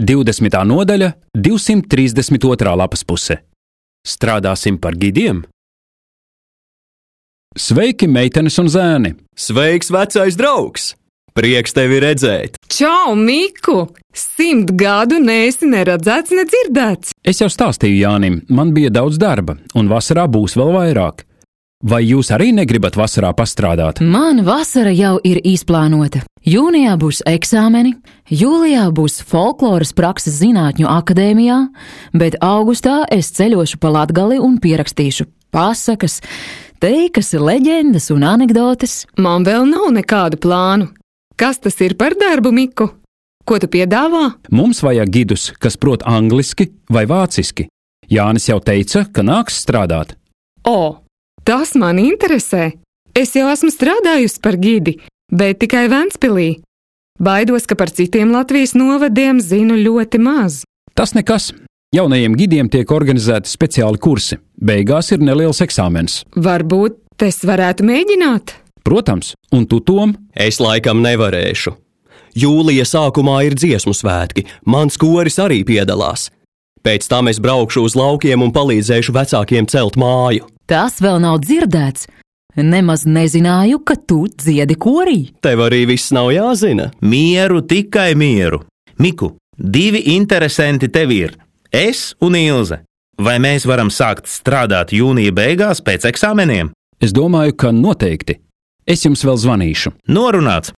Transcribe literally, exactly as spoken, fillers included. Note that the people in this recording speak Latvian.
divdesmitā nodaļa, divsimt trīsdesmit otrā lapas puse. Strādāsim par gidiem? Sveiki, meitenes un zēni! Sveiks, vecais draugs! Prieks tevi redzēt! Čau, Miku! Simt gadu neesi neredzēts, nedzirdēts! Es jau stāstīju Jānim, man bija daudz darba, un vasarā būs vēl vairāk. Vai jūs arī negribat vasarā pastrādāt? Man vasara jau ir izplānota. Jūnijā būs eksāmeni, jūlijā būs folkloras prakses zinātņu akadēmijā, bet augustā es ceļošu pa Latgali un pierakstīšu pasakas, teikas, leģendas un anekdotes. Man vēl nav nekādu plānu. Kas tas ir par darbu, Miku? Ko tu piedāvā? Mums vajag gidus, kas prot angliski vai vāciski. Jānis jau teica, ka nāks strādāt. O, tas man interesē. Es jau esmu strādājusi par gidi, bet tikai Ventspilī. Baidos, ka par citiem Latvijas novadiem zinu ļoti maz. Tas nekas. Jaunajiem gidiem tiek organizēti speciāli kursi. Beigās ir neliels eksāmens. Varbūt es varētu mēģināt? Protams, un tu, Tom? Es laikam nevarēšu. Jūlija sākumā ir dziesmu svētki, mans koris arī piedalās. Pēc tam es braukšu uz laukiem un palīdzēšu vecākiem celt māju. Tas vēl nav dzirdēts. Nemaz nezināju, ka tu dziedi korī. Tev arī viss nav jāzina. Mieru, tikai mieru. Miku, divi interesanti tev ir. Es un Ilze. Vai mēs varam sākt strādāt jūnija beigās pēc eksāmeniem? Es domāju, ka noteikti. Es jums vēl zvanīšu. Norunāts.